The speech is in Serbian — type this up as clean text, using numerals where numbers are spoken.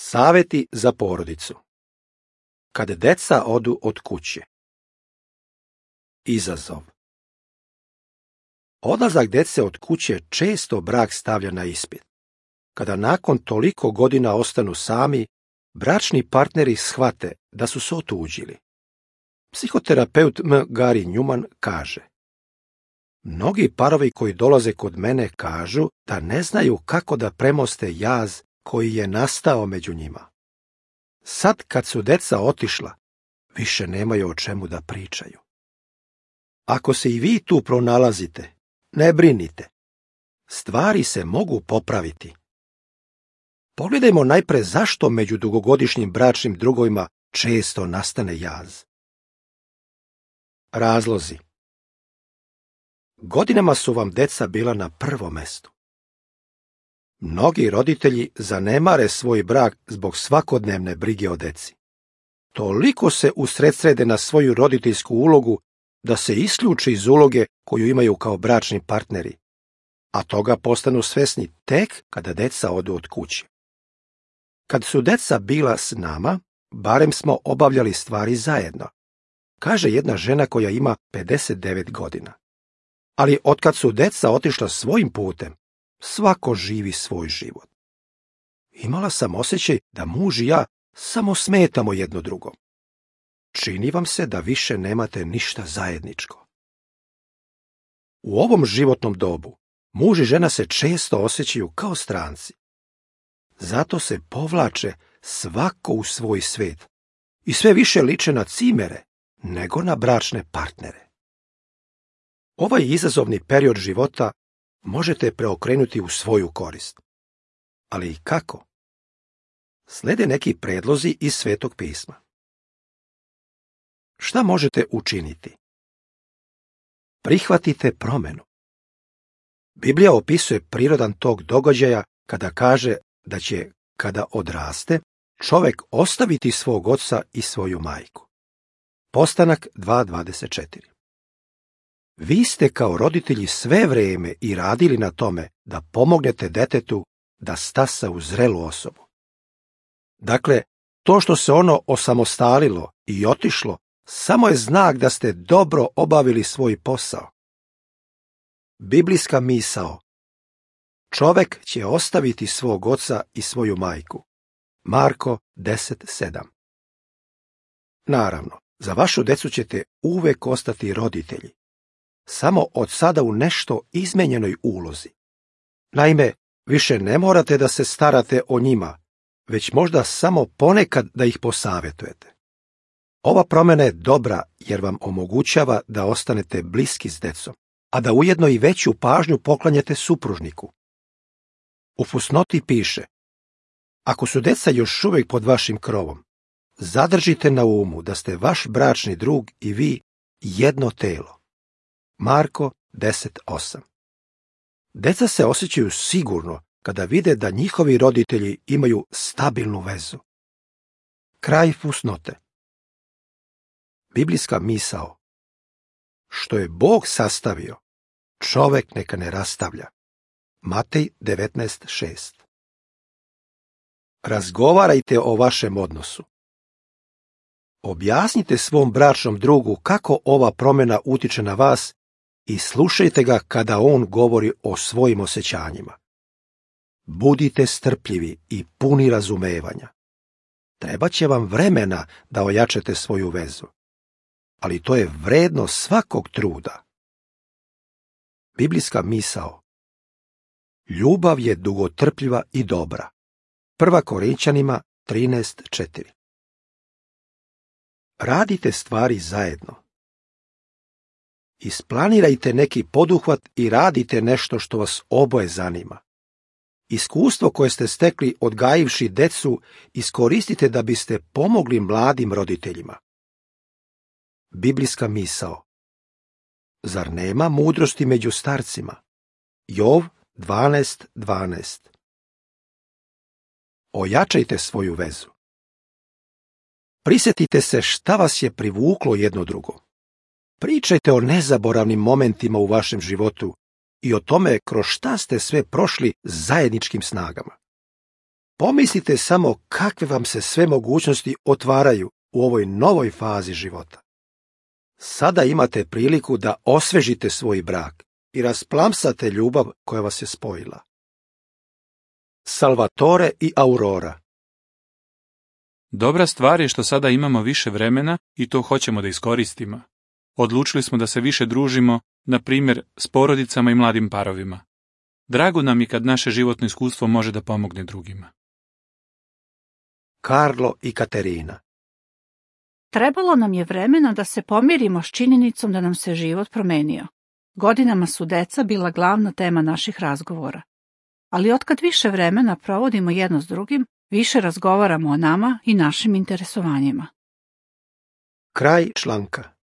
Saveti za porodicu. Kad deca odu od kuće. Izazov. Odlazak dece od kuće često brak stavlja na ispit. Kada nakon toliko godina ostanu sami, bračni partneri shvate da su se otuđili. Psihoterapeut Gary Newman kaže: mnogi parovi koji dolaze kod mene kažu da ne znaju kako da premoste jaz koji je nastao među njima. Sad kad su deca otišla, više nemaju o čemu da pričaju. Ako se i vi tu pronalazite, ne brinite. Stvari se mogu popraviti. Pogledajmo najpre zašto među dugogodišnjim bračnim drugovima često nastane jaz. Razlozi. Godinama su vam deca bila na prvom mestu. Mnogi roditelji zanemare svoj brak zbog svakodnevne brige o deci. Toliko se usredsrede na svoju roditeljsku ulogu da se isključe iz uloge koju imaju kao bračni partneri, a toga postanu svesni tek kada deca odu od kuće. Kad su deca bila s nama, barem smo obavljali stvari zajedno, kaže jedna žena koja ima 59 godina. Ali otkad su deca otišla svojim putem, svako živi svoj život. Imala sam osjećaj da muž i ja samo smetamo jedno drugom. Čini vam se da više nemate ništa zajedničko. U ovom životnom dobu muž i žena se često osjećaju kao stranci. Zato se povlače svako u svoj svet i sve više liče na cimere nego na bračne partnere. Ovaj izazovni period života možete preokrenuti u svoju korist. Ali i kako? Slede neki predlozi iz Svetog pisma. Šta možete učiniti? Prihvatite promenu. Biblija opisuje prirodan tog događaja kada kaže da će, kada odraste, čovek ostaviti svog oca i svoju majku. Postanak 2.24. Vi ste kao roditelji sve vrijeme i radili na tome da pomognete detetu da stasa u zrelu osobu. Dakle, to što se ono osamostalilo i otišlo, samo je znak da ste dobro obavili svoj posao. Biblijska misao. Čovek će ostaviti svog oca i svoju majku. Marko 10.7. Naravno, za vašu decu ćete uvek ostati roditelji. Samo od sada u nešto izmenjenoj ulozi. Naime, više ne morate da se starate o njima, već možda samo ponekad da ih posavetujete. Ova promjena je dobra jer vam omogućava da ostanete bliski s decom, a da ujedno i veću pažnju poklanjate supružniku. U fusnoti piše: ako su deca još uvijek pod vašim krovom, zadržite na umu da ste vaš bračni drug i vi jedno telo. Marko 10.8. Deca se osjećaju sigurno kada vide da njihovi roditelji imaju stabilnu vezu. Kraj fusnote. Biblijska misao. Što je Bog sastavio, čovek neka ne rastavlja. Matej 19.6. Razgovarajte o vašem odnosu. Objasnite svom bračnom drugu kako ova promjena utiče na vas i slušajte ga kada on govori o svojim osjećanjima. Budite strpljivi i puni razumevanja. Trebaće vam vremena da ojačate svoju vezu, ali to je vredno svakog truda. Biblijska misao. Ljubav je dugotrpljiva i dobra. 1. Korinćanima 13.4. Radite stvari zajedno. Isplanirajte neki poduhvat i radite nešto što vas oboje zanima. Iskustvo koje ste stekli odgajivši decu iskoristite da biste pomogli mladim roditeljima. Biblijska misao. Zar nema mudrosti među starcima? Jov 12.12. Ojačajte svoju vezu. Prisjetite se šta vas je privuklo jedno drugo. Pričajte o nezaboravnim momentima u vašem životu i o tome kroz šta ste sve prošli zajedničkim snagama. Pomislite samo kakve vam se sve mogućnosti otvaraju u ovoj novoj fazi života. Sada imate priliku da osvežite svoj brak i rasplamsate ljubav koja vas je spojila. Salvatore i Aurora. Dobra stvar je što sada imamo više vremena i to hoćemo da iskoristimo. Odlučili smo da se više družimo, na primjer, s porodicama i mladim parovima. Drago nam je kad naše životno iskustvo može da pomogne drugima. Karlo i Katerina. Trebalo nam je vremena da se pomirimo s činjenicom da nam se život promenio. Godinama su deca bila glavna tema naših razgovora. Ali otkad više vremena provodimo jedno s drugim, više razgovaramo o nama i našim interesovanjima. Kraj članka.